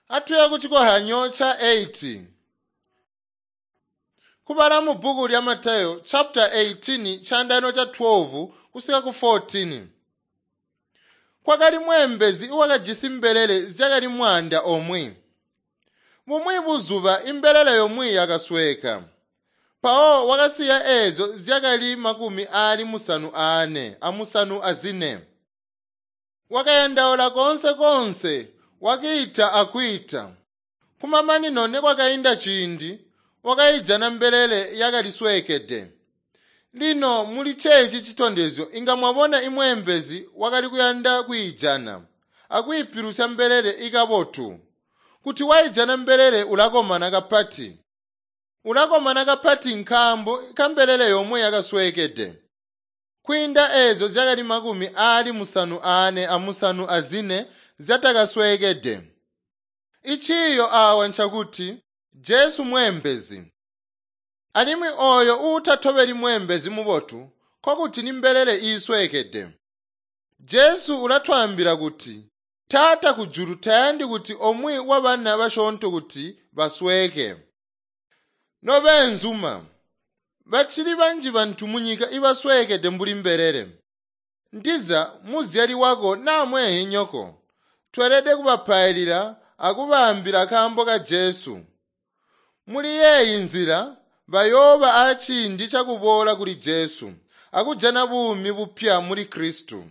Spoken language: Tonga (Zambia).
Atuya ku cikohyanyo ca 8. Kubala mu bbuku lya Mateyo chapter 18 chandano cha 12 kusika ku 14. Kwakali mweembezi wakajisi mbelele zyakali 100. Bumwi buzuba imbelele yomwe yakasweeka. Mpawo wakasiya eezyo zyakali 94. Wakayandaula koonse koonse, wakiita akwiita. Kumamanino nikwakainda ciindi, wakayijana mbelele yakali sweekede. Lino muli ceeci citondezyo inga mwabona imweembezi wakali kuyanda kwiijana akwiipilusya mbelele ikabotu. Kuti waijana mbelele ulakomana kapati. Ulakomana kapati nkaambo kambelele yomwe yakasweekede. Kwiinda eezyo zyakali 94 zyatakasweekede. Iciiyo awa ncakuti Jesu mweembezi. Alimwi ooyo uutatobeli mweembezi mubotu nkokuti ni mbelele iisweekede. Jesu ulatwaambila kuti Taata kujulu tayandi kuti omwe wa bana basyoonto kuti basweeke. Nobeenzuma, bacili banji bantu munyika ibasweekede mbuli mbelele. Ndiza muzyali wako naa mweenhinyoko, tweelede kubapailila akubaambila kaambo ka Jesu. Muli yeeyi nzila bayooba aaciindi cakuboola kuli Jesu akujana buumi bupya muli Kristu.